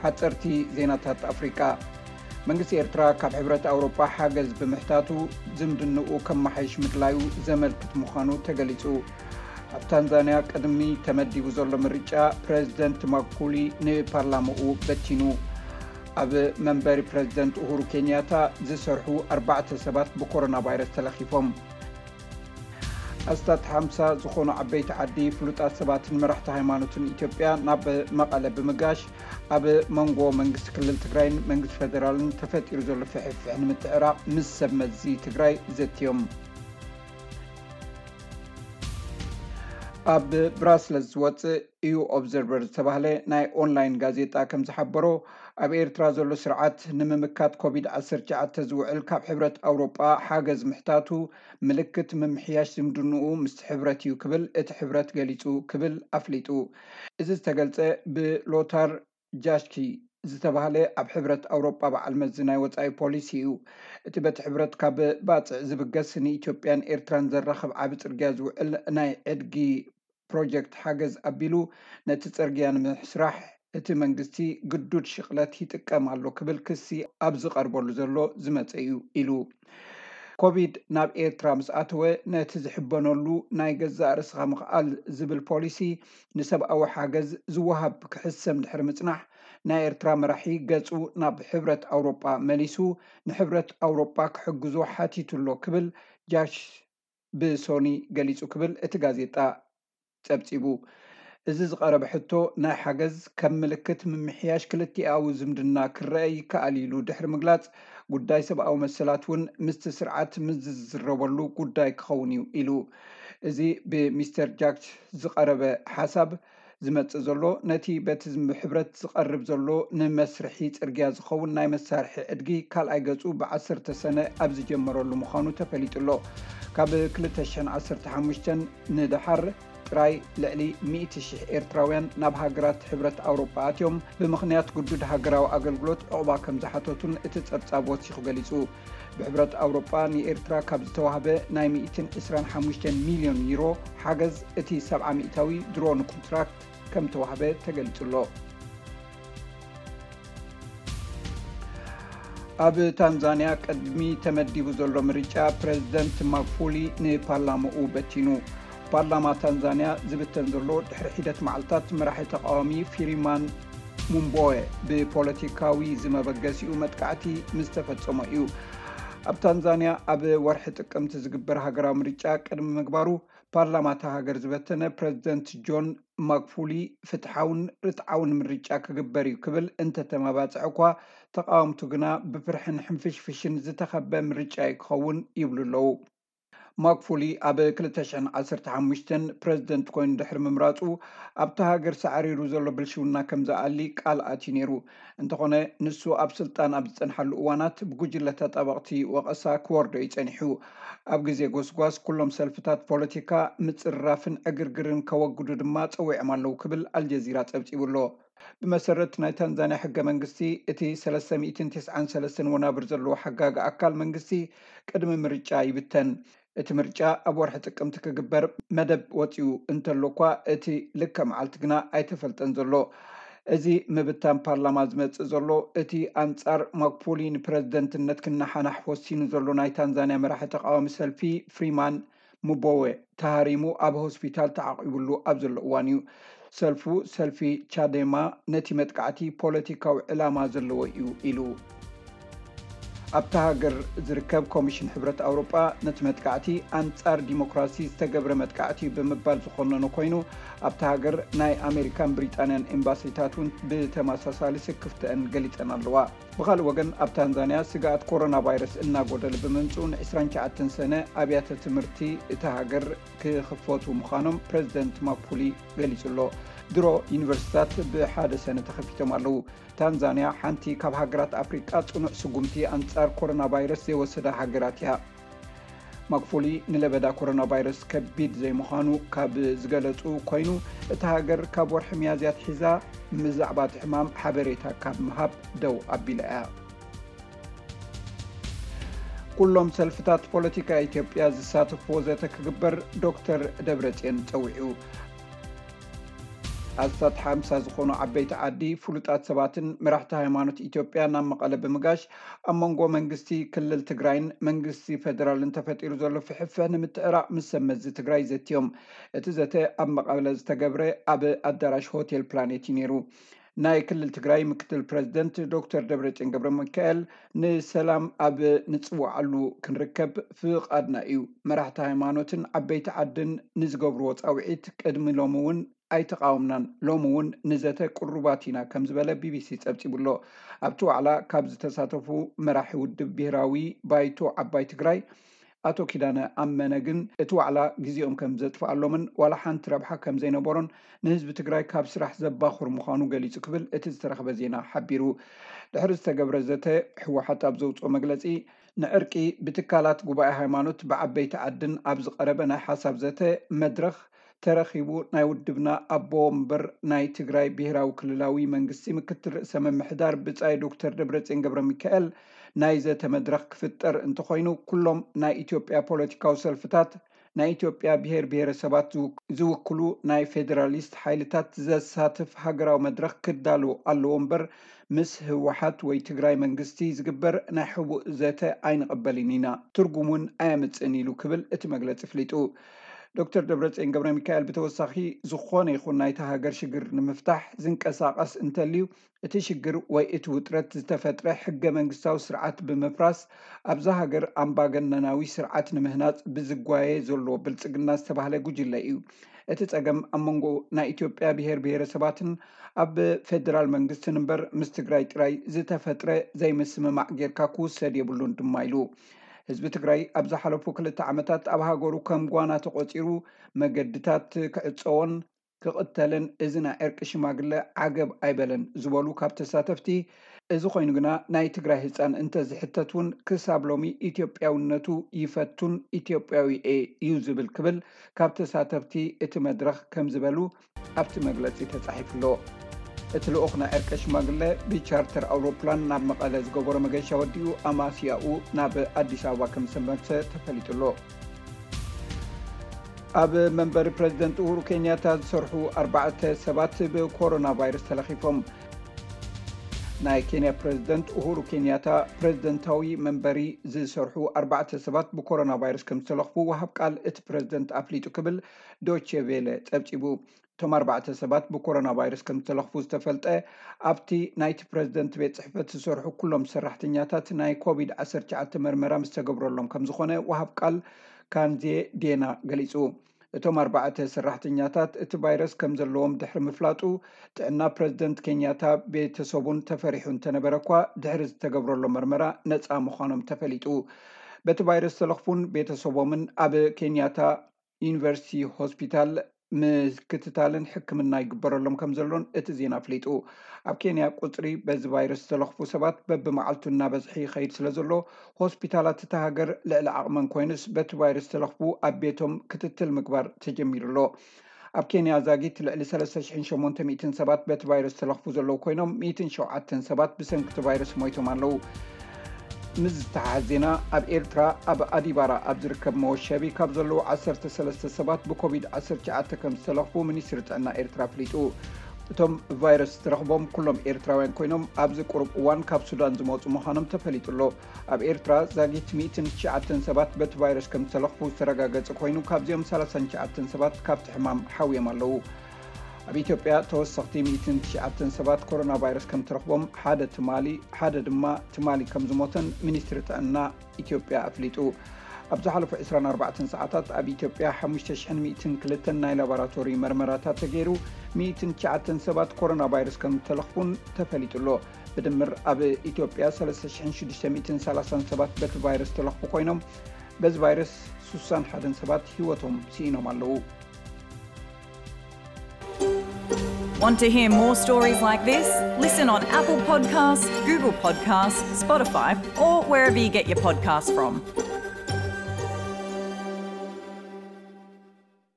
ሓፀርቲ ዜናታት ኣፍሪቃ። መንግስቲ ኤርትራ ካብ ሕብረት ኣውሮጳ ሓገዝ ብምሕታቱ ዝምድንኡ ከመሓይሽ ምድላዩ ዘመልክት ምዃኑ ተገሊጹ። ኣብ ታንዛንያ ቅድሚ ተመዲቡ ዘሎ ምርጫ ፕረዚደንት ማጉፉሊ ንፓርላማኡ በቲኑ። ኣብ መንበሪ ፕረዚደንት ኡሁሩ ኬንያታ ዝሰርሑ ኣርባዕተ ሰባት ብኮሮና ቫይረስ ተለኺፎም። ኣስታት ሓምሳ ዝኾኑ ዓበይቲ ዓዲ፣ ፍሉጣት ሰባትን መራሕቲ ሃይማኖትን ኢትዮጵያ ናብ መቐለ ብምጋሽ፣ ኣብ መንጎ መንግስቲ ክልል ትግራይን መንግስቲ ፌደራልን ተፈጢሩ ዘሎ ፍሕፍሕ ንምትዕራቕ ምስ ሰብ መዚ ትግራይ ዘትዮም። ኣብ ብራስለስ ዝወፅእ ኢዩ ኦብዘርቨር ዝተባህለ ናይ ኦንላይን ጋዜጣ ከም ዝሓበሮ፣ ኣብ ኤርትራ ዘሎ ስርዓት ንምምካት ኮቪድ ዓሰርተ ትሽዓተ ዝውዕል ካብ ሕብረት ኣውሮጳ ሓገዝ ምሕታቱ ምልክት ምምሕያሽ ዝምድንኡ ምስቲ ሕብረት እዩ ክብል እቲ ሕብረት ገሊጹ ክብል ኣፍሊጡ። እዚ ዝተገልጸ ብሎታር ጃሽኪ ዝተባህለ ኣብ ሕብረት ኣውሮጳ በዓል መዚ ናይ ወጻኢ ፖሊሲ እዩ። እቲ በቲ ሕብረት ካብ ባጽዕ ዝብገስ ንኢትዮጵያን ኤርትራን ዘራኽብ ዓቢ ጽርግያ ዝውዕል ናይ ዕድጊ ፕሮጀክት ሓገዝ ኣቢሉ ነቲ ጽርግያ ንምስራሕ እቲ መንግስቲ ግዱድ ሽቕለት ይጥቀም ኣሎ ክብል ክሲ ኣብ ዝቐርበሉ ዘሎ ዝመጸ እዩ ኢሉ። ኮቪድ ናብ ኤርትራ ምስ ኣተወ ነቲ ዝሕበነሉ ናይ ገዛእ ርእስኻ ምኽኣል ዝብል ፖሊሲ ንሰብኣዊ ሓገዝ ዝወሃብ ክሕሰም ድሕሪ ምጽናሕ ናይ ኤርትራ መራሒ ገጹ ናብ ሕብረት ኣውሮጳ መሊሱ ንሕብረት ኣውሮጳ ክሕግዞ ሓቲቱ ኣሎ ክብል ጃሽ ብሶኒ ገሊጹ ክብል እቲ ጋዜጣ ጸብጺቡ። እዚ ዝቐረበ ሕቶ ናይ ሓገዝ ከም ምልክት ምምሕያሽ ክልቲኣዊ ዝምድና ክረአ ይከኣል ኢሉ ድሕሪ ምግላጽ፣ ጉዳይ ሰብኣዊ መሰላት እውን ምስቲ ስርዓት ምስ ዝዝረበሉ ጉዳይ ክኸውን እዩ ኢሉ። እዚ ብሚስተር ጃክስ ዝቐረበ ሓሳብ ዝመጽእ ዘሎ ነቲ በቲ ሕብረት ዝቐርብ ዘሎ ንመስርሒ ጽርግያ ዝኸውን ናይ መሳርሒ ዕድጊ ካልኣይ ገጹ ብዓሰርተ ሰነ ኣብ ዝጀመረሉ ምዃኑ ተፈሊጡ ኣሎ። ካብ ክልተ ሽሕን ዓሰርተ ሓሙሽተን ንደሓር ጥራይ ልዕሊ ሚእቲ ሽሕ ኤርትራውያን ናብ ሃገራት ሕብረት ኣውሮጳ ኣትዮም ብምኽንያት ግዱድ ሃገራዊ ኣገልግሎት ዕቑባ ከም ዝሓተቱን እቲ ጸብጻብ ወሲኹ ገሊጹ። ብሕብረት ኣውሮጳ ንኤርትራ ካብ ዝተዋህበ ናይ ሚእትን ዕስራን ሓሙሽተን ሚልዮን ዩሮ ሓገዝ እቲ ሰብዓ ሚእታዊ ድሮ ንኮንትራክት ከም ተዋህበ ተገሊጹ ኣሎ። ኣብ ታንዛንያ ቅድሚ ተመዲቡ ዘሎ ምርጫ ፕረዚደንት ማጉፉሊ ንፓርላማኡ በቲኑ። ፓርላማ ታንዛንያ ዝብተን ዘሎ ድሕሪ ሒደት መዓልታት መራሒ ተቃዋሚ ፊሪማን ሙምቦወ ብፖለቲካዊ ዝመበገሲኡ መጥቃዕቲ ምስ ተፈጸሞ እዩ። ኣብ ታንዛንያ ኣብ ወርሒ ጥቅምቲ ዝግበር ሃገራዊ ምርጫ ቅድሚ ምግባሩ ፓርላማ እታ ሃገር ዝበተነ ፕረዚደንት ጆን ማጉፉሊ ፍትሓውን ርትዓውን ምርጫ ክግበር እዩ ክብል እንተተመባጽዐ እኳ ተቃወምቱ ግና ብፍርሕን ሕንፍሽፍሽን ዝተኸበ ምርጫ እዩ ክኸውን ይብሉ ኣለዉ። ማጉፉሊ ኣብ ክልተ ሽሕን ዓሰርተ ሓሙሽተን ፕረዚደንት ኮይኑ ድሕሪ ምምራጹ ኣብታ ሃገር ሳዕሪሩ ዘሎ ብልሽውና ከም ዝኣሊ ቃል ኣትዩ ነይሩ። እንተኾነ ንሱ ኣብ ስልጣን ኣብ ዝጸንሓሉ እዋናት ብጉጅለ ተጣበቕቲ ወቐሳ ክወርዶ እዩ ጸኒሑ። ኣብ ግዜ ጎስጓስ ኩሎም ሰልፍታት ፖለቲካ ምጽርራፍን ዕግርግርን ከወግዱ ድማ ጸዊዖም ኣለዉ ክብል ኣልጀዚራ ጸብጺቡ ኣሎ። ብመሰረት ናይ ታንዛንያ ሕገ መንግስቲ እቲ ሰለስተ ሚእትን ተስዓን ሰለስተን ወናብር ዘለዎ ሓጋጊ ኣካል መንግስቲ ቅድሚ ምርጫ ይብተን። እቲ ምርጫ ኣብ ወርሒ ጥቅምቲ ክግበር መደብ ወጺኡ እንተሎ እኳ እቲ ልክዕ መዓልቲ ግና ኣይተፈልጠን ዘሎ። እዚ ምብታን ፓርላማ ዝመጽእ ዘሎ እቲ ኣንጻር ማጉፉሊ ንፕረዚደንትነት ክነሓናሕ ወሲኑ ዘሎ ናይ ታንዛንያ መራሒ ተቃዋሚ ሰልፊ ፍሪማን ሙቦወ ተሃሪሙ ኣብ ሆስፒታል ተዓቂቡሉ ኣብ ዘሎ እዋን እዩ። ሰልፉ ሰልፊ ቻዴማ ነቲ መጥቃዕቲ ፖለቲካዊ ዕላማ ዘለዎ እዩ ኢሉ። ኣብታ ሃገር ዝርከብ ኮሚሽን ሕብረት ኣውሮጳ ነቲ መጥቃዕቲ ኣንጻር ዲሞክራሲ ዝተገብረ መጥቃዕቲ እዩ ብምባል ዝኾነኖ ኮይኑ ኣብታ ሃገር ናይ ኣሜሪካን ብሪጣንያን ኤምባሲታት እውን ብተመሳሳሊ ስክፍተአን ገሊጸን ኣለዋ። ብኻልእ ወገን ኣብ ታንዛንያ ስግኣት ኮሮና ቫይረስ እናጎደለ ብምምፅኡ ን ዕስራን ትሽዓተን ሰነ ኣብያተ ትምህርቲ እታ ሃገር ክኽፈቱ ምዃኖም ፕረዚደንት ማጉፉሊ ገሊጹ ኣሎ። ድሮ ዩኒቨርሲቲታት ብሓደ ሰነ ተኸፊቶም ኣለዉ። ታንዛንያ ሓንቲ ካብ ሃገራት ኣፍሪቃ ጽኑዕ ስጉምቲ ኣንጻር ኮሮና ቫይረስ ዘይወሰዳ ሃገራት እያ። ማጉፉሊ ንለበዳ ኮሮና ቫይረስ ከቢድ ዘይምዃኑ ካብ ዝገለጹ ኮይኑ እታ ሃገር ካብ ወርሒ ሚያዝያ ኣትሒዛ ብዛዕባ እቲ ሕማም ሓበሬታ ካብ ምሃብ ደው ኣቢላ እያ። ኩሎም ሰልፍታት ፖለቲካ ኢትዮጵያ ዝሳተፍዎ ዘተ ክግበር ዶክተር ደብረጽዮን ጸዊዑ። ኣስታት ሓምሳ ዝኾኑ ዓበይቲ ዓዲ፣ ፍሉጣት ሰባትን መራሕቲ ሃይማኖት ኢትዮጵያ ናብ መቐለ ብምጋሽ፣ ኣብ መንጎ መንግስቲ ክልል ትግራይን መንግስቲ ፌደራልን ተፈጢሩ ዘሎ ፍሕፍሕ ንምትዕራቕ ምስ ሰብ መዚ ትግራይ ዘትዮም። እቲ ዘተ ኣብ መቐለ ዝተገብረ ኣብ ኣዳራሽ ሆቴል ፕላኔት እዩ ነይሩ። ናይ ክልል ትግራይ ምክትል ፕረዚደንት ዶክተር ደብረጽዮን ገብረ ሚካኤል፣ ንሰላም ኣብ ንጽውዓሉ ክንርከብ ፍቓድና እዩ። መራሕቲ ሃይማኖትን ዓበይቲ ዓድን ንዝገብርዎ ጻውዒት ቅድሚ ሎሚ እውን ኣይተቓወምናን፣ ሎሚ እውን ንዘተ ቅሩባት ኢና ከም ዝበለ ቢቢሲ ጸብጺቡ ኣሎ። ኣብቲ ዋዕላ ካብ ዝተሳተፉ መራሒ ውድብ ብሄራዊ ባይቶ ዓባይ ትግራይ ኣቶ ኪዳነ ኣመነ ግን እቲ ዋዕላ ግዜኦም ከም ዘጥፍኣሎምን ዋላ ሓንቲ ረብሓ ከም ዘይነበሮን ንህዝቢ ትግራይ ካብ ስራሕ ዘባኹር ምዃኑ ገሊጹ ክብል እቲ ዝተረኽበ ዜና ሓቢሩ። ድሕሪ ዝተገብረ ዘተ ህወሓት ኣብ ዘውፅኦ መግለፂ ንዕርቂ ብትካላት ጉባኤ ሃይማኖት ብዓበይቲ ዓድን ኣብ ዝቐረበ ናይ ሓሳብ ዘተ መድረኽ ተረኺቡ ናይ ውድብና ኣቦ ወንበር ናይ ትግራይ ብሄራዊ ክልላዊ መንግስቲ ምክትል ርእሰ ምምሕዳር ብጻይ ዶክተር ደብረጽዮን ገብረ ሚካኤል ናይ ዘተ መድረኽ ክፍጠር እንተኾይኑ ኩሎም ናይ ኢትዮጵያ ፖለቲካዊ ሰልፍታት ናይ ኢትዮጵያ ብሄር ብሄረሰባት ዝውክ- ዝውክሉ ናይ ፌዴራሊስት ሓይልታት ዘሳትፍ ሃገራዊ መድረኽ ክዳሉ ኣለዎ እምበር ምስ ህወሓት ወይ ትግራይ መንግስቲ ዝግበር ናይ ሕቡእ ዘተ ኣይንቕበልን ኢና፣ ትርጉም እውን ኣየምፅእን ኢሉ ክብል እቲ መግለፂ ኣፍሊጡ። ዶክተር ደብረፅዮን ገብረ ሚካኤል ብተወሳኺ ዝኾነ ይኹን ናይታ ሃገር ሽግር ንምፍታሕ ዝንቀሳቐስ እንተልዩ እቲ ሽግር ወይ እቲ ውጥረት ዝተፈጥረ ሕገ መንግስታዊ ስርዓት ብምፍራስ ኣብዛ ሃገር ኣምባገነናዊ ስርዓት ንምህናፅ ብዝጓየ ዘሎ ብልፅግና ዝተባህለ ጉጅለ እዩ። እቲ ፀገም ኣብ መንጎ ናይ ኢትዮጵያ ብሄር ብሄረሰባትን ኣብ ፌደራል መንግስትን እምበር ምስ ትግራይ ጥራይ ዝተፈጥረ ዘይምስምማዕ ጌርካ ክውሰድ የብሉን ድማ ኢሉ። ህዝቢ ትግራይ ኣብ ዝሓለፉ ክልተ ዓመታት ኣብ ሃገሩ ከም ጓና ተቖፂሩ መገድታት ክዕፀዎን ክቕተልን እዚ ናይ ዕርቂ ሽማግለ ዓገብ ኣይበለን ዝበሉ ካብ ተሳተፍቲ፣ እዚ ኮይኑ ግና ናይ ትግራይ ህፃን እንተዝሕተት እውን ክሳብ ሎሚ ኢትዮጵያውነቱ ይፈቱን ኢትዮጵያዊ እየ እዩ ዝብል ክብል ካብ ተሳተፍቲ እቲ መድረኽ ከም ዝበሉ ኣብቲ መግለፂ ተፃሒፉ ኣሎ። እቲ ልኡኽ ናይ ዕርቂ ሽማግለ ብቻርተር ኣውሮፕላን ናብ መቐለ ዝገበሮ መገሻ ወዲኡ ኣማስያኡ ናብ ኣዲስ ኣበባ ከም ዝተመልሰ ተፈሊጡ ኣሎ። ኣብ መንበሪ ፕረዚደንት ኡሁሩ ኬንያታ ዝሰርሑ ኣርባዕተ ሰባት ብኮሮና ቫይረስ ተለኺፎም። ናይ ኬንያ ፕረዚደንት ኡሁሩ ኬንያታ ፕረዚደንታዊ መንበሪ ዝሰርሑ ኣርባዕተ ሰባት ብኮሮና ቫይረስ ከም ዝተለኽፉ ወሃብ ቃል እቲ ፕረዚደንት ኣፍሊጡ ክብል ዶቼ ቬለ ጸብጺቡ። እቶም ኣርባዕተ ሰባት ብኮሮና ቫይረስ ከም ዝተለኽፉ ዝተፈልጠ ኣብቲ ናይቲ ፕረዚደንት ቤት ጽሕፈት ዝሰርሑ ኩሎም ሰራሕተኛታት ናይ ኮቪድ ዓሰርተ ትሽዓተ መርመራ ምስ ተገብረሎም ከም ዝኾነ ወሃብ ቃል ካንዜ ዴና ገሊጹ። እቶም ኣርባዕተ ሰራሕተኛታት እቲ ቫይረስ ከም ዘለዎም ድሕሪ ምፍላጡ ጥዕና ፕረዚደንት ኬንያታ ቤተሰቡን ተፈሪሑ እንተነበረ እኳ ድሕሪ ዝተገብረሎም መርመራ ነጻ ምዃኖም ተፈሊጡ። በቲ ቫይረስ ዝተለኽፉን ቤተሰቦምን ኣብ ኬንያታ ዩኒቨርሲቲ ሆስፒታል ምክትታልን ሕክምና ይግበረሎም ከም ዘሎን እቲ ዜና ኣፍሊጡ። ኣብ ኬንያ ቁጽሪ በዚ ቫይረስ ዝተለኽፉ ሰባት በብመዓልቱ እናበዝሐ ይኸይድ ስለ ዘሎ ሆስፒታላት እታ ሃገር ልዕሊ ዓቕመን ኮይኑስ በቲ ቫይረስ ዝተለኽፉ ኣብ ቤቶም ክትትል ምግባር ተጀሚሩ ኣሎ። ኣብ ኬንያ ዛጊት ልዕሊ ሰለስተ ሽሕን ሸሞንተ ሚእትን ሰባት በቲ ቫይረስ ዝተለኽፉ ዘለዉ ኮይኖም ሚእትን ሸውዓተን ሰባት ብሰንኪ እቲ ቫይረስ ሞይቶም ኣለዉ። ምስ ዝተሓሓዝ ዜና ኣብ ኤርትራ ኣብ ኣዲባራ ኣብ ዝርከብ መወሸቢ ካብ ዘለዉ ዓሰርተ ሰለስተ ሰባት ብኮቪድ ዓሰርተ ትሽዓተ ከም ዝተለኽፉ ሚኒስትሪ ጥዕና ኤርትራ ኣፍሊጡ። እቶም ቫይረስ ዝተረኽቦም ኩሎም ኤርትራውያን ኮይኖም ኣብዚ ቁሩብ እዋን ካብ ሱዳን ዝመፁ ምዃኖም ተፈሊጡ ኣሎ። ኣብ ኤርትራ ዛጊት ሚእትን ትሽዓተን ሰባት በቲ ቫይረስ ከም ዝተለኽፉ ዝተረጋገጸ ኮይኑ ካብዚኦም ሰላሳን ትሽዓተን ሰባት ካብቲ ሕማም ሓውዮም ኣለዉ። ኣብ ኢትዮጵያ ተወሰኽቲ ሚእትን ትሽዓተን ሰባት ኮሮና ቫይረስ ከም ተረኽቦም ሓደ ትማሊ ሓደ ድማ ትማሊ ከም ዝሞተን ሚኒስትሪ ጥዕና ኢትዮጵያ ኣፍሊጡ። ኣብ ዝሓለፉ ዕስራን ኣርባዕተን ሰዓታት ኣብ ኢትዮጵያ ሓሙሽተ ሽሕን ሚእትን ክልተን ናይ ላቦራቶሪ መርመራታት ተገይሩ ሚእትን ትሽዓተን ሰባት ኮሮና ቫይረስ ከም ተለኽፉን ተፈሊጡ ኣሎ። ብድምር ኣብ ኢትዮጵያ ሰለስተ ሽሕን ሽዱሽተ ሚእትን ሰላሳን ሰባት በቲ ቫይረስ ተለኽፉ ኮይኖም በዚ ቫይረስ ስሳን ሓደን ሰባት ህይወቶም ስኢኖም ኣለዉ። Want to hear more stories like this? Listen on Apple Podcasts, Google Podcasts, Spotify, or wherever you get your podcasts from.